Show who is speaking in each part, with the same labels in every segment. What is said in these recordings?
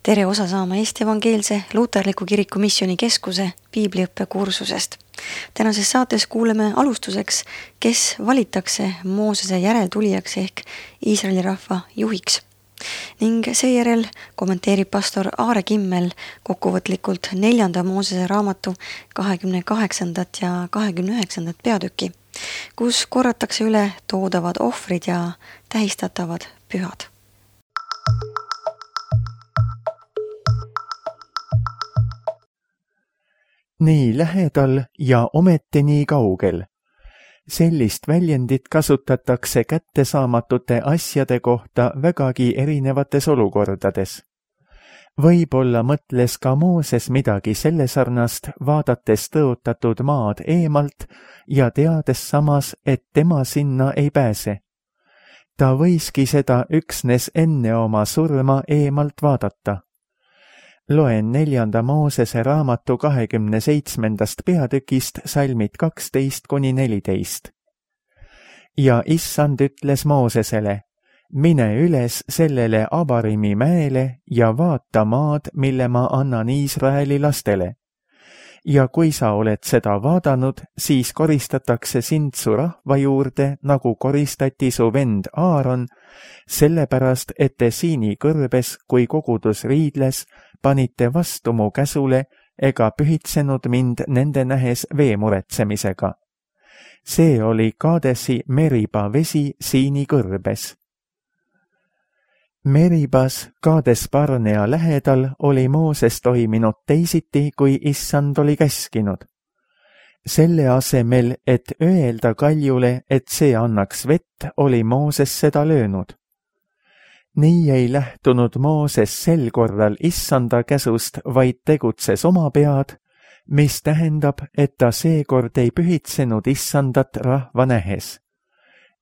Speaker 1: Tere osa saama Eesti Evangeelse Luterliku Kiriku Missioonikeskuse piibliõppekursusest. Tänases saates kuuleme alustuseks, kes valitakse Moosese järeltulijaks ehk Iisraeli rahva juhiks. Ning seejärel kommenteerib pastor Aare Kimmel kokkuvõtlikult 4. Moosese raamatu 28. ja 29. peatüki, kus korratakse üle toodavad ohvrid ja tähistatavad pühad.
Speaker 2: Nii lähedal ja ometi nii kaugel. Sellist väljendit kasutatakse kättesaamatute asjade kohta vägagi erinevates olukordades. Võib-olla mõtles ka Mooses midagi selle sarnast, vaadates tõotatud maad eemalt ja teades samas, et tema sinna ei pääse. Ta võiski seda üksnes enne oma surma eemalt vaadata. Loen 4. Moosese raamatu 27. peatükist salmid 12–14. Ja issand ütles Moosesele, mine üles sellele Abarimi mäele ja vaata maad, mille ma annan Iisraeli lastele. Ja kui sa oled seda vaadanud, siis koristatakse sind su rahva juurde, nagu koristati su vend Aaron, sellepärast, et te siini kõrbes, kui kogudus riidles, panite vastu mu käsule ega pühitsenud mind nende nähes vee muretsemisega. See oli Kaadesi Meriba vesi siini kõrbes. Meribas Kaades Barnea lähedal oli Mooses toiminud teisiti, kui issand oli käskinud. Selle asemel, et öelda kaljule, et see annaks vett, oli Mooses seda löönud. Nii ei lähtunud Mooses sel korral issanda käsust, vaid tegutses oma pead, mis tähendab, et ta seekord ei pühitsenud issandat rahva nähes.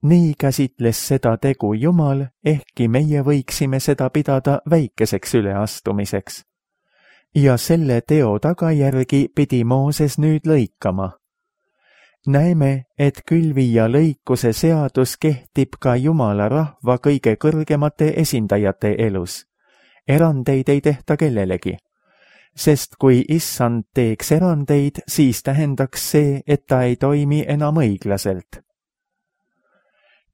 Speaker 2: Nii käsitles seda tegu Jumal, ehkki meie võiksime seda pidada väikeseks üleastumiseks. Ja selle teo tagajärgi pidi Mooses nüüd lõikama. Näeme, et külvi ja lõikuse seadus kehtib ka Jumala rahva kõige kõrgemate esindajate elus. Erandeid ei tehta kellelegi. Sest kui issand teeks erandeid, siis tähendaks see, et ta ei toimi enam õiglaselt.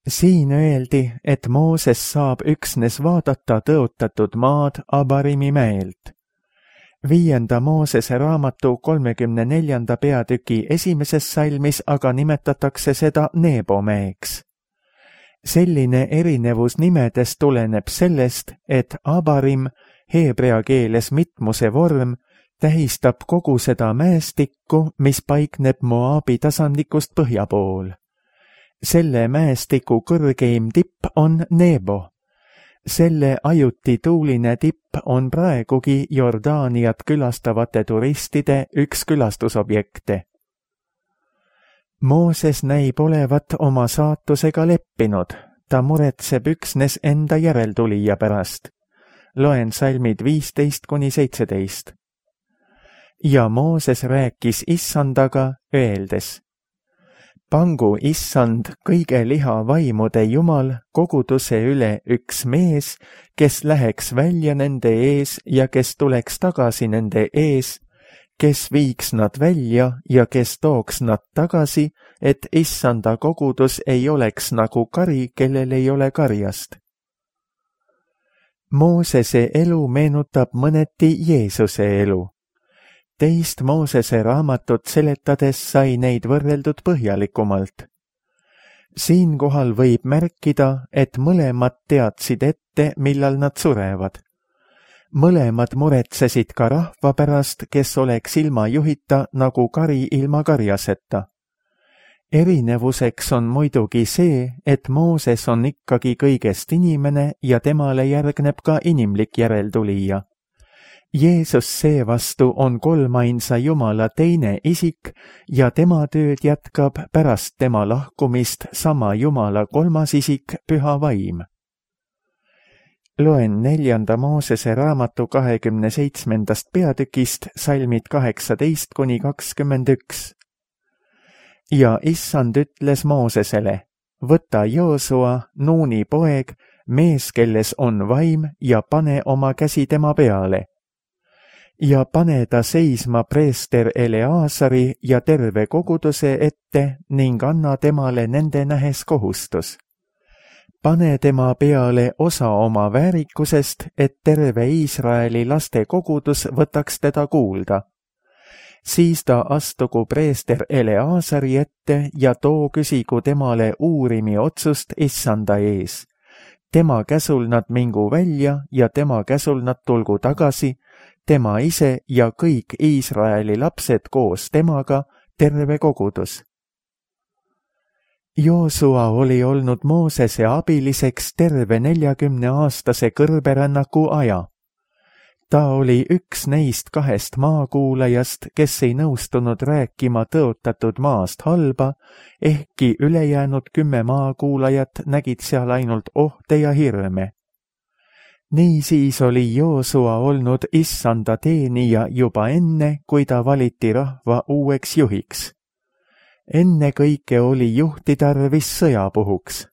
Speaker 2: Siin öeldi, et Mooses saab üksnes vaadata tõotatud maad Abarimi mäelt. 5. Moosese raamatu 34. peatüki 1. salmis aga nimetatakse seda Nebo mäeks. Selline erinevus nimedes tuleneb sellest, et Abarim, heebrea keeles mitmuse vorm, tähistab kogu seda mäestikku, mis paikneb Moabi tasandikust põhja pool. Selle mäestiku kõrgeim tipp on Nebo. Selle ajuti tuuline tipp on praegugi Jordaaniat külastavate turistide üks külastusobjekte. Mooses näib olevat oma saatusega leppinud, ta muretseb üksnes enda järeltulija pärast. Loen salmid 15–17. Ja Mooses rääkis issandaga, öeldes, pangu issand kõige lihavaimude Jumal koguduse üle üks mees, kes läheks välja nende ees ja kes tuleks tagasi nende ees, kes viiks nad välja ja kes tooks nad tagasi, et issanda kogudus ei oleks nagu kari, kellel ei ole karjast. Moosese elu meenutab mõneti Jeesuse elu. Teist Moosese raamatut seletades sai neid võrreldud põhjalikumalt. Siinkohal võib märkida, et mõlemad teadsid ette, millal nad surevad. Mõlemad muretsesid ka rahva pärast, kes oleks ilma juhita nagu kari ilma karjaseta. Erinevuseks on muidugi see, et Mooses on ikkagi kõigest inimene ja temale järgneb ka inimlik järeltulija. Jeesus seevastu on kolmainsa Jumala teine isik ja tema tööd jätkab pärast tema lahkumist sama Jumala kolmas isik, Püha Vaim. Loen 4. Moosese raamatu 27. peatükist salmid 18–21. Ja issand ütles Moosesele, võta Joosua, Nuuni poeg, mees, kelles on vaim, ja pane oma käsi tema peale. Ja pane ta seisma preester Eleasari ja terve koguduse ette ning anna temale nende nähes kohustus. Pane tema peale osa oma väärikusest, et terve Iisraeli laste kogudus võtaks teda kuulda. Siis ta astugu preester Eleasari ette ja too küsigu temale uurimi otsust issanda ees. Tema käsul nad mingu välja ja tema käsul nad tulgu tagasi, tema ise ja kõik Iisraeli lapsed koos temaga, terve kogudus. Joosua oli olnud Moosese abiliseks terve 40-aastase kõrberännaku aja. Ta oli üks neist 2 maakuulajast, kes ei nõustunud rääkima tõotatud maast halba, ehkki ülejäänud 10 maakuulajat nägid seal ainult ohte ja hirme. Niisiis oli Joosua olnud issanda teenija juba enne, kui ta valiti rahva uueks juhiks. Enne kõike oli juhti tarvis sõjapuhuks.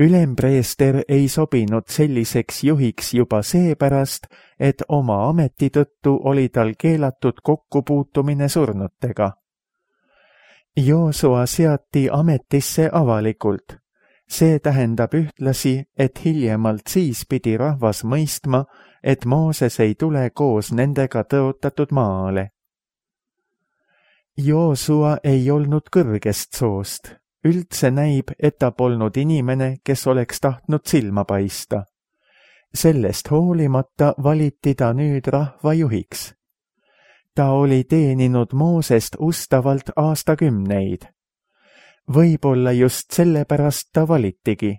Speaker 2: Ülempreester ei sobinud selliseks juhiks juba seepärast, et oma ameti tõttu oli tal keelatud kokkupuutumine surnutega. Joosua seati ametisse avalikult. See tähendab ühtlasi, et hiljemalt siis pidi rahvas mõistma, et Mooses ei tule koos nendega tõotatud maale. Joosua ei olnud kõrgest soost. Üldse näib, et ta polnud inimene, kes oleks tahtnud silma paista. Sellest hoolimata valiti ta nüüd rahva juhiks. Ta oli teeninud Moosest ustavalt aastakümneid. Võib-olla just sellepärast ta valitigi.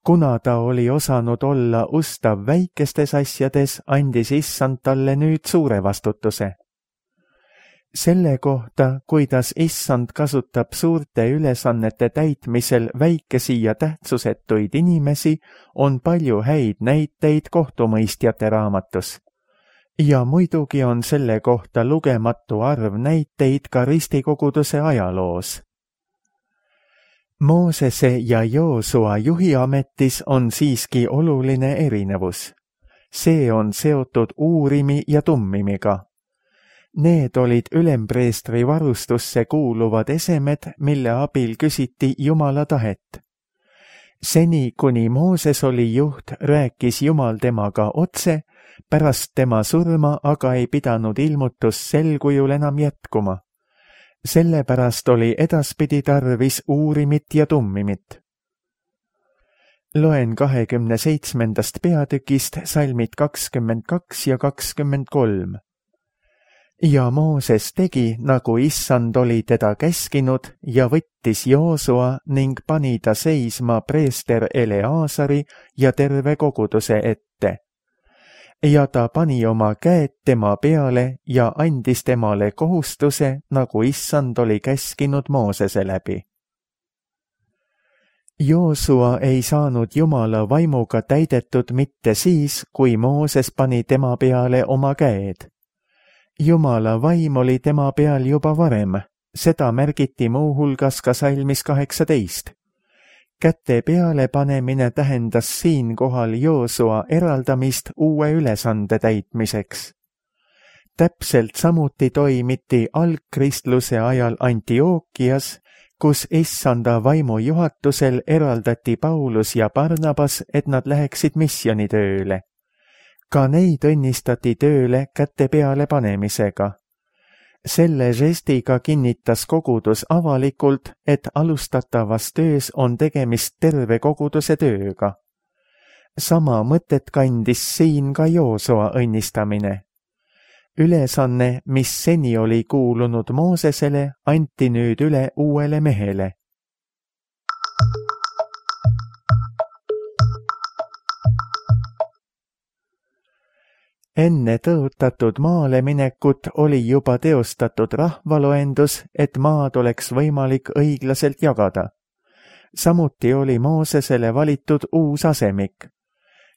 Speaker 2: Kuna ta oli osanud olla ustav väikestes asjades, andis issand talle nüüd suure vastutuse. Selle kohta, kuidas issand kasutab suurte ülesannete täitmisel väikesi ja tähtsusetuid inimesi, on palju häid näiteid kohtumõistjate raamatus. Ja muidugi on selle kohta lugematu arv näiteid ka ristikoguduse ajaloos. Moosese ja Joosua juhiametis on siiski oluline erinevus. See on seotud uurimi ja tummimiga. Need olid ülempreestri varustusse kuuluvad esemed, mille abil küsiti Jumala tahet. Seni, kuni Mooses oli juht, rääkis Jumal temaga otse, pärast tema surma aga ei pidanud ilmutus sel kujul enam jätkuma. Sellepärast oli edaspidi tarvis uurimit ja tummimit. Loen 27. peatükist salmid 22 ja 23. Ja Mooses tegi, nagu issand oli teda käskinud, ja võttis Joosua ning pani ta seisma preester Eleasari ja terve koguduse ette. Ja ta pani oma käed tema peale ja andis temale kohustuse, nagu issand oli käskinud Moosese läbi. Joosua ei saanud Jumala vaimuga täidetud mitte siis, kui Mooses pani tema peale oma käed. Jumala vaim oli tema peal juba varem, seda märgiti muuhulgas ka salmis 18. Käte peale panemine tähendas siinkohal Joosua eraldamist uue ülesande täitmiseks. Täpselt samuti toimiti algkristluse ajal Antiookias, kus issanda vaimu juhatusel eraldati Paulus ja Barnabas, et nad läheksid missioonitööle. Ka neid õnnistati tööle käte peale panemisega. Selle žestiga kinnitas kogudus avalikult, et alustatavas töös on tegemist terve koguduse tööga. Sama mõtet kandis siin ka Joosua õnnistamine. Ülesanne, mis seni oli kuulunud Moosesele, anti nüüd üle uuele mehele. Enne tõotatud maale minekut oli juba teostatud rahvaloendus, et maad oleks võimalik õiglaselt jagada. Samuti oli Moosesele valitud uus asemik.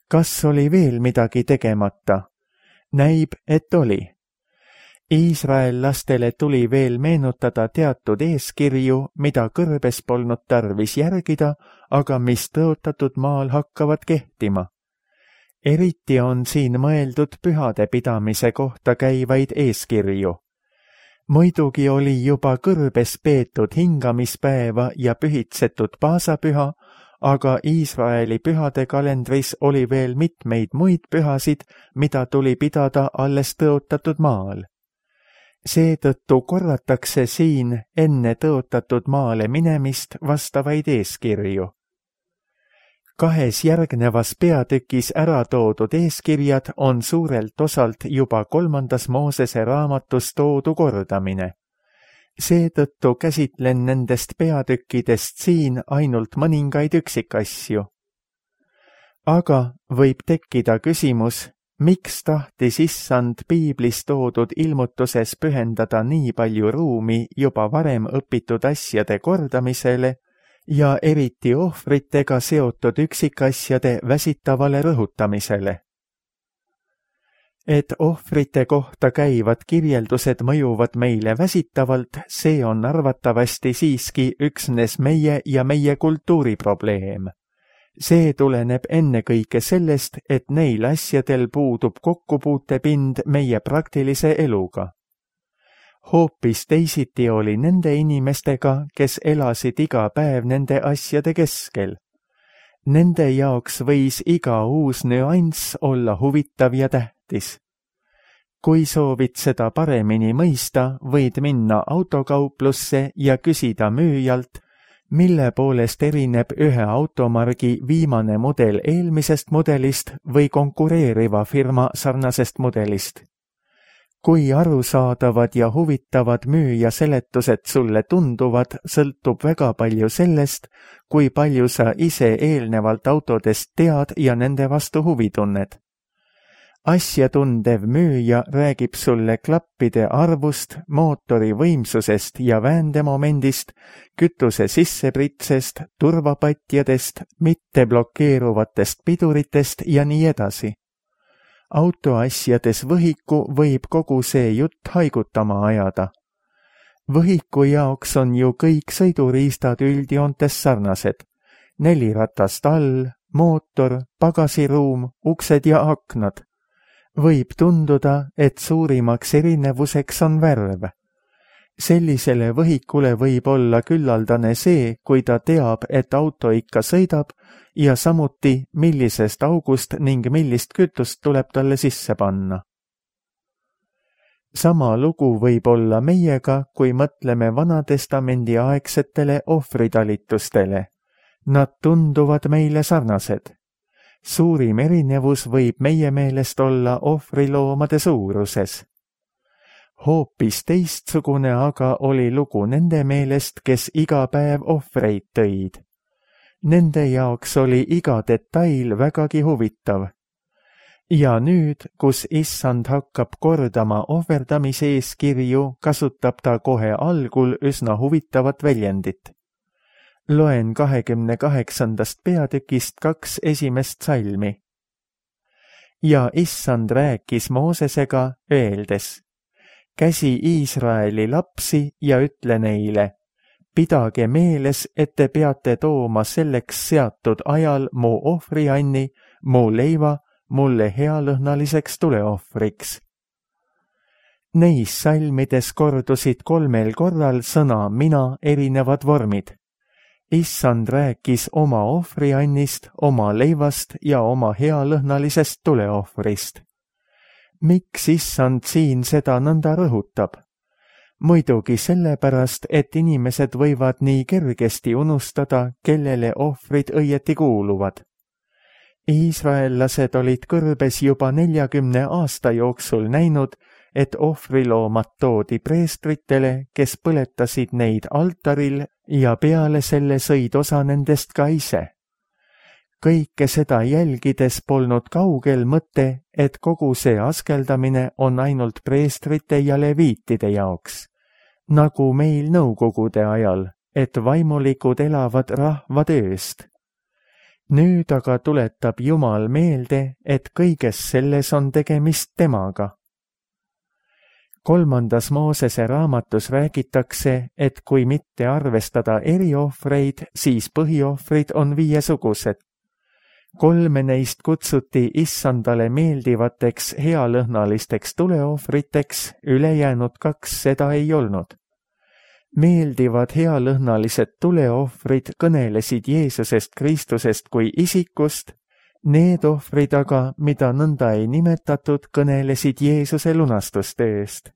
Speaker 2: Kas oli veel midagi tegemata? Näib, et oli. Iisraellastele tuli veel meenutada teatud eeskirju, mida kõrbes polnud tarvis järgida, aga mis tõotatud maal hakkavad kehtima. Eriti on siin mõeldud pühade pidamise kohta käivaid eeskirju. Muidugi oli juba kõrbes peetud hingamispäeva ja pühitsetud paasapüha, aga Iisraeli pühade kalendris oli veel mitmeid muid pühasid, mida tuli pidada alles tõotatud maal. Seetõttu korratakse siin enne tõotatud maale minemist vastavaid eeskirju. 2 järgnevas peatükis ära toodud eeskirjad on suurelt osalt juba 3. Moosese raamatus toodu kordamine. Seetõttu käsitlen nendest peatükkidest siin ainult mõningaid üksikasju. Aga võib tekkida küsimus, miks tahtis Issand piiblis toodud ilmutuses pühendada nii palju ruumi juba varem õpitud asjade kordamisele ja eriti ohvritega seotud üksikasjade väsitavale rõhutamisele. Et ohvrite kohta käivad kirjeldused mõjuvad meile väsitavalt, see on arvatavasti siiski üksnes meie ja meie kultuuri probleem. See tuleneb ennekõike sellest, et neil asjadel puudub kokkupuutepind meie praktilise eluga. Hoopis teisiti oli nende inimestega, kes elasid iga päev nende asjade keskel. Nende jaoks võis iga uus nüanss olla huvitav ja tähtis. Kui soovid seda paremini mõista, võid minna autokauplusse ja küsida müüjalt, mille poolest erineb ühe automargi viimane mudel eelmisest mudelist või konkureeriva firma sarnasest mudelist. Kui arusaadavad ja huvitavad müüja seletused sulle tunduvad, sõltub väga palju sellest, kui palju sa ise eelnevalt autodest tead ja nende vastu huvi tunned. Asjatundev müüja räägib sulle klappide arvust, mootori võimsusest ja vääntemomendist, kütuse sissepritsest, turvapatjadest, mitte blokeeruvatest piduritest ja nii edasi. Autoasjades võhiku võib kogu see jutt haigutama ajada. Võhiku jaoks on ju kõik sõiduriistad üldjoontes sarnased. 4 ratast all, mootor, pagasiruum, uksed ja aknad. Võib tunduda, et suurimaks erinevuseks on värv. Sellisele võhikule võib olla küllaldane see, kui ta teab, et auto ikka sõidab ja samuti, millisest august ning millist kütust tuleb talle sisse panna. Sama lugu võib olla meiega, kui mõtleme Vanatestamendi aegsetele ohvritalitustele. Nad tunduvad meile sarnased. Suurim erinevus võib meie meelest olla ohvriloomade suuruses. Hoopis teistsugune aga oli lugu nende meelest, kes iga päev ohvreid tõid. Nende jaoks oli iga detail vägagi huvitav. Ja nüüd, kus Issand hakkab kordama ohverdamise eeskirju, kasutab ta kohe algul üsna huvitavat väljendit. Loen 28. peatükist 2 esimest salmi. Ja Issand rääkis Moosesega, öeldes, käsi Iisraeli lapsi ja ütle neile, pidage meeles, et te peate tooma selleks seatud ajal mu ohvrianni, mu leiva, mulle healõhnaliseks tuleohvriks. Neis salmides kordusid 3 korral sõna mina erinevad vormid. Issand rääkis oma ohvriannist, oma leivast ja oma healõhnalisest tuleohvrist. Miks Issand siin seda nõnda rõhutab? Muidugi sellepärast, et inimesed võivad nii kergesti unustada, kellele ohvrid õieti kuuluvad. Iisraellased olid kõrbes juba 40 aasta jooksul näinud, et ohvriloomad toodi preestritele, kes põletasid neid altaril ja peale selle sõid osa nendest ka ise. Kõike seda jälgides polnud kaugel mõte, et kogu see askeldamine on ainult preestrite ja leviitide jaoks, nagu meil nõukogude ajal, et vaimulikud elavad rahva tööst. Nüüd aga tuletab Jumal meelde, et kõiges selles on tegemist temaga. 3. Moosese raamatus räägitakse, et kui mitte arvestada eriohvreid, siis põhiohvrid on 5-sugused. 3 neist kutsuti issandale meeldivateks healõhnalisteks tuleohvriteks, ülejäänud 2 seda ei olnud. Meeldivad healõhnalised tuleohvrid kõnelesid Jeesusest Kristusest kui isikust, need ohvrid aga, mida nõnda ei nimetatud, kõnelesid Jeesuse lunastustööst.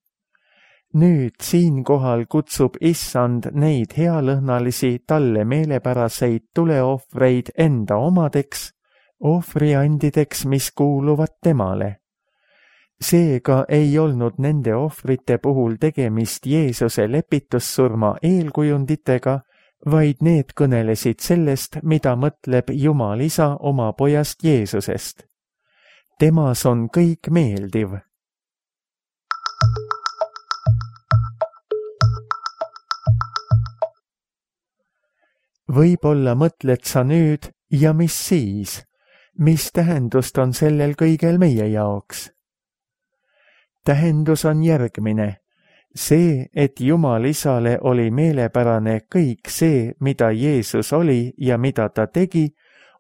Speaker 2: Nüüd siinkohal kutsub issand neid healõhnalisi talle meelepäraseid tuleohvreid enda omadeks, ohvriandideks, mis kuuluvad temale. Seega ei olnud nende ohvrite puhul tegemist Jeesuse lepitussurma eelkujunditega, vaid need kõnelesid sellest, mida mõtleb Jumal Isa oma pojast Jeesusest. Temas on kõik meeldiv. Võib-olla mõtled sa nüüd, ja mis siis? Mis tähendust on sellel kõigel meie jaoks? Tähendus on järgmine. See, et Jumal Isale oli meelepärane kõik see, mida Jeesus oli ja mida ta tegi,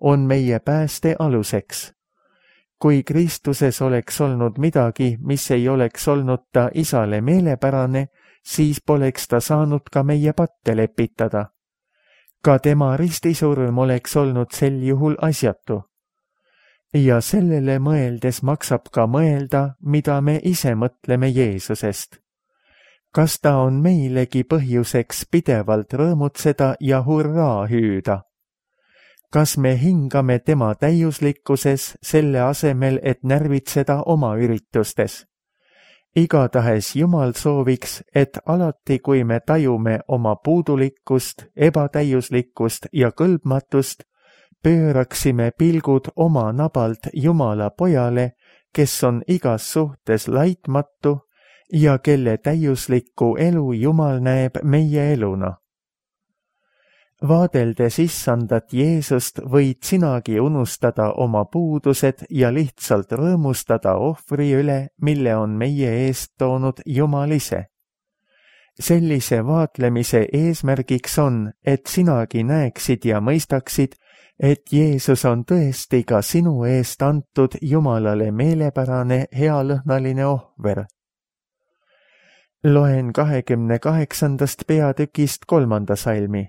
Speaker 2: on meie pääste aluseks. Kui Kristuses oleks olnud midagi, mis ei oleks olnud ta Isale meelepärane, siis poleks ta saanud ka meie patte lepitada. Ka tema ristisurm oleks olnud sel juhul asjatu. Ja sellele mõeldes maksab ka mõelda, mida me ise mõtleme Jeesusest. Kas ta on meilegi põhjuseks pidevalt rõõmutseda ja hurraa hüüda? Kas me hingame tema täiuslikkuses selle asemel, et närvitseda oma üritustes? Igatahes Jumal sooviks, et alati, kui me tajume oma puudulikkust, ebatäiuslikkust ja kõlbmatust, pööraksime pilgud oma nabalt Jumala pojale, kes on igas suhtes laitmatu ja kelle täiuslikku elu Jumal näeb meie eluna. Vaadeldes issandat Jeesust võid sinagi unustada oma puudused ja lihtsalt rõõmustada ohvri üle, mille on meie eest toonud Jumal ise. Sellise vaatlemise eesmärgiks on, et sinagi näeksid ja mõistaksid, et Jeesus on tõesti ka sinu eest antud Jumalale meelepärane healõhnaline ohver. Loen 28. peatükist 3. salmi.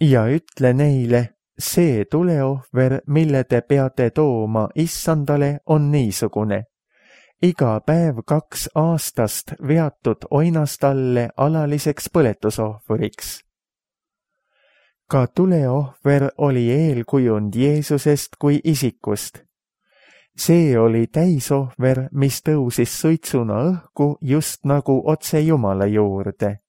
Speaker 2: Ja ütle neile, see tuleohver, mille te peate tooma issandale, on niisugune. Iga päev 2 aastast veatud oinastalle alaliseks põletusohvriks. Ka tuleohver oli eelkujund Jeesusest kui isikust. See oli täisohver, mis tõusis suitsuna õhku just nagu otse Jumala juurde.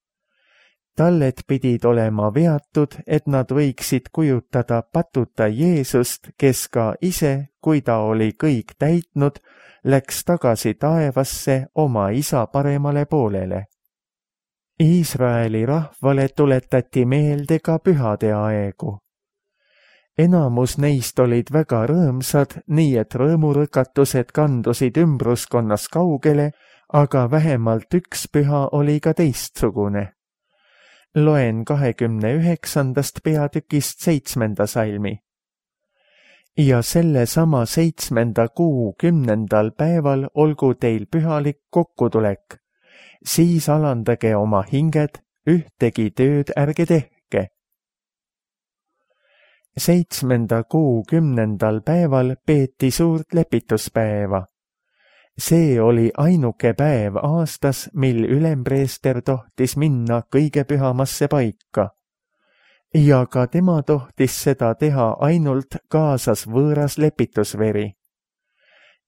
Speaker 2: Talled pidid olema veatud, et nad võiksid kujutada patuta Jeesust, kes ka ise, kui ta oli kõik täitnud, läks tagasi taevasse oma isa paremale poolele. Iisraeli rahvale tuletati meelde ka pühade aegu. Enamus neist olid väga rõõmsad, nii et rõõmurõkatused kandusid ümbruskonnas kaugele, aga vähemalt üks püha oli ka teistsugune. Loen 29. peatükist 7. salmi. Ja selle sama 7. kuu 10. päeval olgu teil pühalik kokkutulek. Siis alandage oma hinged, ühtegi tööd ärge tehke. 7. kuu 10. päeval peeti suurt lepituspäeva. See oli ainuke päev aastas, mil ülempreester tohtis minna kõige pühamasse paika. Ja ka tema tohtis seda teha ainult kaasas võõras lepitusveri.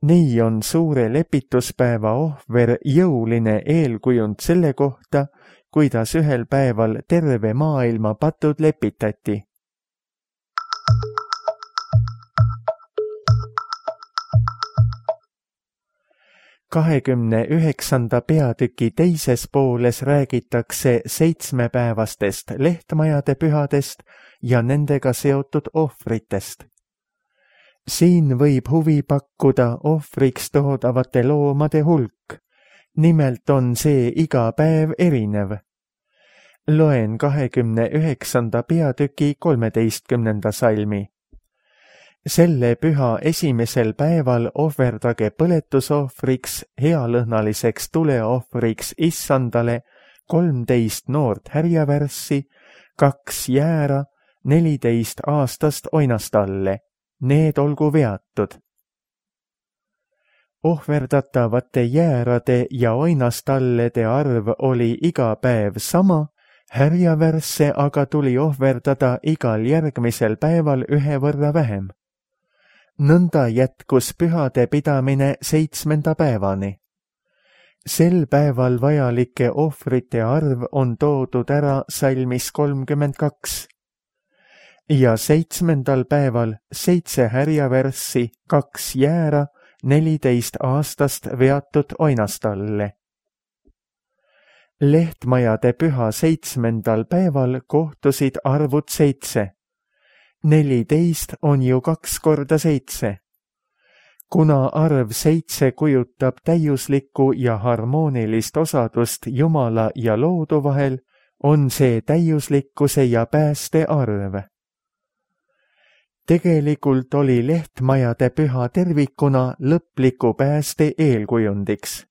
Speaker 2: Nii on suure lepituspäeva ohver jõuline eelkujund selle kohta, kuidas ühel päeval terve maailma patud lepitati. (29. peatüki teises pooles räägitakse 7-päevastest lehtmajade pühadest ja nendega seotud ohvritest. Siin võib huvi pakkuda ohvriks toodavate loomade hulk, nimelt on see iga päev erinev. Loen 29. peatüki 13. salmi. Selle püha esimesel päeval ohverdage põletusohvriks, healõhnaliseks tuleohvriks Issandale 13 noort härjavärssi, 2 jäära, 14 aastast oinastalle, need olgu veatud. Ohverdatavate jäärade ja oinastallede arv oli iga päev sama, härjavärsse aga tuli ohverdada igal järgmisel päeval 1 võrra vähem. Nõnda jätkus pühade pidamine 7. päevani. Sel päeval vajalike ohvrite arv on toodud ära salmis 32. Ja 7. päeval 7 härjavärssi, 2 jäära, 14 aastast veatud oinastalle. Lehtmajade püha 7. päeval kohtusid arvud 7. 14 on ju 2 korda 7. Kuna arv 7 kujutab täiuslikku ja harmoonilist osadust Jumala ja loodu vahel, on see täiuslikkuse ja pääste arv. Tegelikult oli lehtmajade püha tervikuna lõpliku pääste eelkujundiks.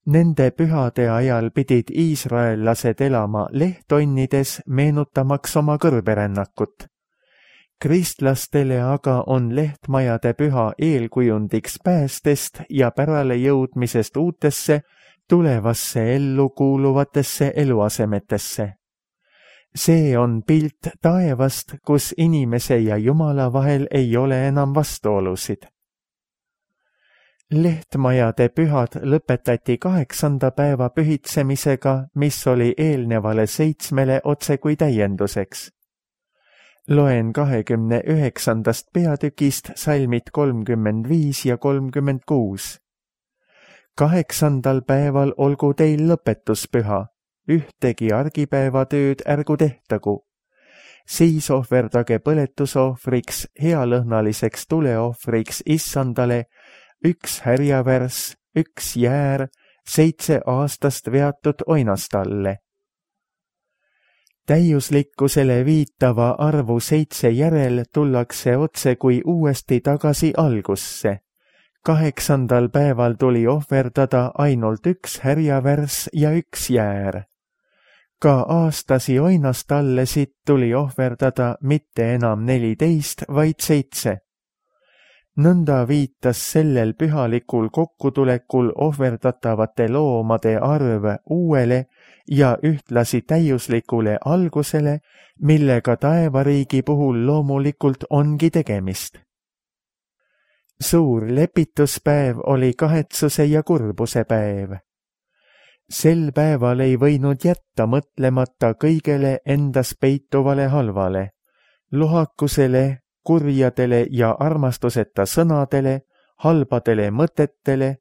Speaker 2: Nende pühade ajal pidid iisraellased elama lehtonnides, meenutamaks oma kõrberännakut. Kristlastele aga on lehtmajade püha eelkujundiks päästest ja pärale jõudmisest uutesse, tulevasse ellu kuuluvatesse eluasemetesse. See on pilt taevast, kus inimese ja Jumala vahel ei ole enam vastuolusid. Lehtmajade pühad lõpetati 8. päeva pühitsemisega, mis oli eelnevale 7 otsekui täienduseks. Loen 29. peatükist salmid 35 ja 36. 8. päeval olgu teil lõpetuspüha, ühtegi argipäevatööd ärgu tehtagu. Siis ohverdage põletusohvriks, healõhnaliseks tuleohvriks Issandale 1 härjavärss, 1 jäär, 7 aastast veatud oinastalle. Täiuslikkusele viitava arvu 7 järel tullakse otse kui uuesti tagasi algusse. 8. päeval tuli ohverdada ainult 1 härjavärss ja 1 jäär. Ka aastasi oinastallesid tuli ohverdada mitte enam 14, vaid 7. Nõnda viitas sellel pühalikul kokkutulekul ohverdatavate loomade arv uuele ja ühtlasi täiuslikule algusele, millega taevariigi puhul loomulikult ongi tegemist. Suur lepituspäev oli kahetsuse ja kurbuse päev. Sel päeval ei võinud jätta mõtlemata kõigele endas peituvale halvale, lohakusele, kurjadele ja armastuseta sõnadele, halbadele mõtetele,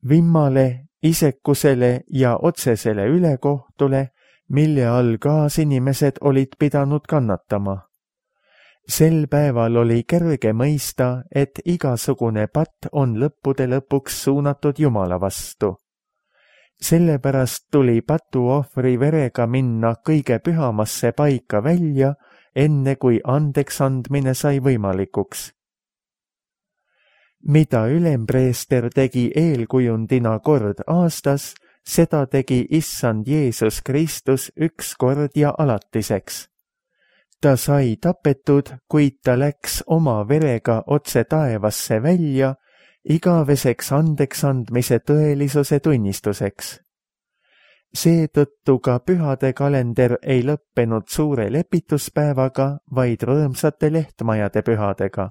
Speaker 2: vimmale, isekusele ja otsesele ülekohtule, mille all kaasinimesed olid pidanud kannatama. Sel päeval oli kerge mõista, et igasugune patt on lõppude lõpuks suunatud Jumala vastu. Sellepärast tuli patuohvri verega minna kõige pühamasse paika välja, enne kui andeks andmine sai võimalikuks. Mida ülempreester tegi eelkujundina kord aastas, seda tegi Issand Jeesus Kristus 1 kord ja alatiseks. Ta sai tapetud, kuid ta läks oma verega otse taevasse välja, igaveseks andeks andmise tõelisuse tunnistuseks. Seetõttu ka pühade kalender ei lõppenud suure lepituspäevaga, vaid rõõmsate lehtmajade pühadega.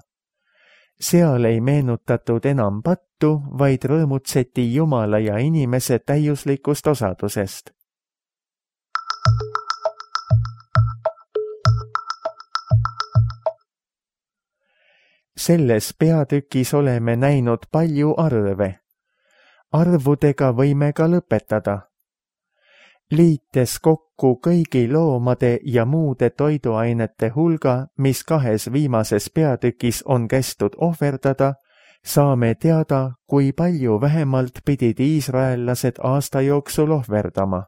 Speaker 2: Seal ei meenutatud enam pattu, vaid rõõmutseti Jumala ja inimese täiuslikust osadusest. Selles peatükis oleme näinud palju arve. Arvudega võime ka lõpetada. Liites kokku kõigi loomade ja muude toiduainete hulga, mis 2 viimases peatükis on kästud ohverdada, saame teada, kui palju vähemalt pidid iisraellased aasta jooksul ohverdama.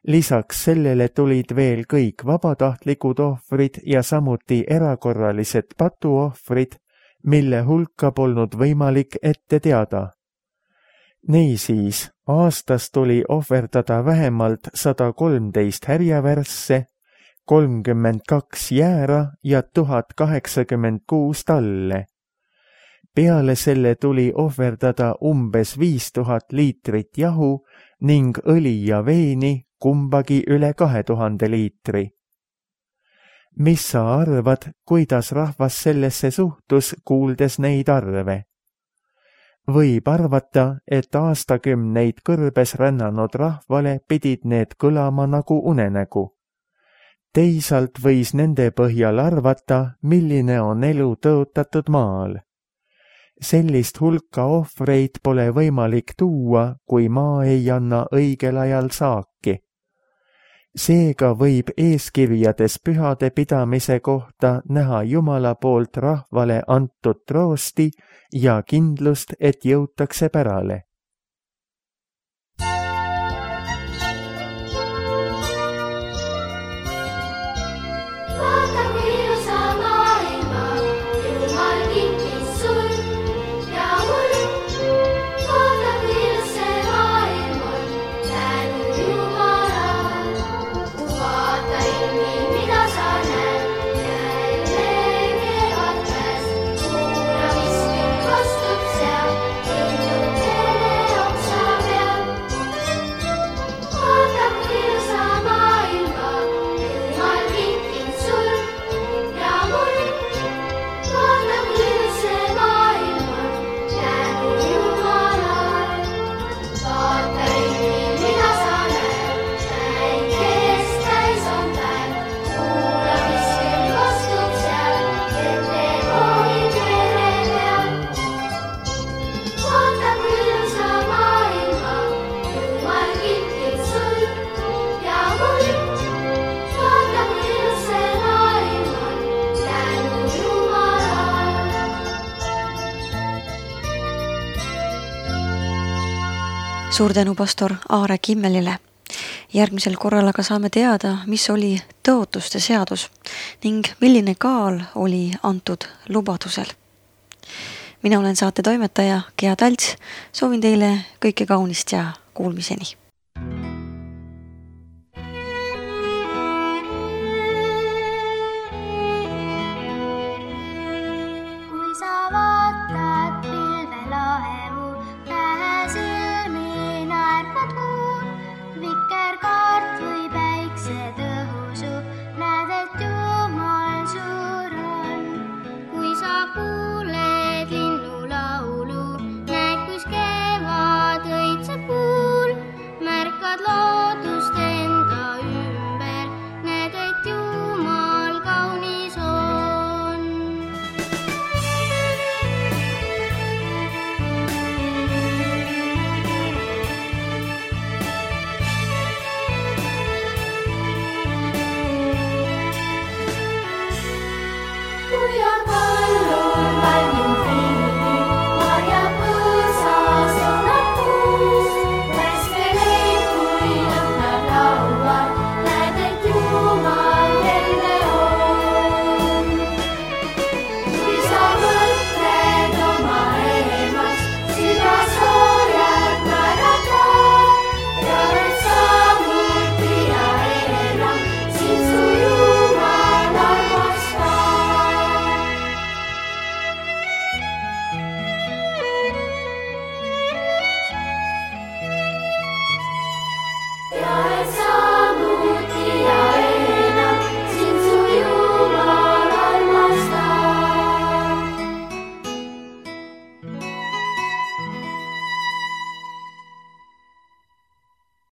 Speaker 2: Lisaks sellele tulid veel kõik vabatahtlikud ohvrid ja samuti erakorralised patuohvrid, mille hulka polnud võimalik ette teada. Niisiis, aastas tuli ohverdada vähemalt 113 härjavärsse, 32 jäära ja 1086 talle. Peale selle tuli ohverdada umbes 5000 liitrit jahu ning õli ja veini, kumbagi üle 2000 liitri. Mis sa arvad, kuidas rahvas sellesse suhtus, kuuldes neid arve? Võib arvata, et aastakümneid kõrbes rännanud rahvale pidid need kõlama nagu unenägu. Teisalt võis nende põhjal arvata, milline on elu tõotatud maal. Sellist hulka ohvreid pole võimalik tuua, kui maa ei anna õigel ajal saaki. Seega võib eeskirjades pühade pidamise kohta näha Jumala poolt rahvale antud troosti ja kindlust, et jõutakse pärale.
Speaker 1: Suur tänu pastor Aare Kimmelile. Järgmisel korral aga saame teada, mis oli tõotuste seadus ning milline kaal oli antud lubadusel. Mina olen saate toimetaja Gea Talts, soovin teile kõike kaunist ja kuulmiseni.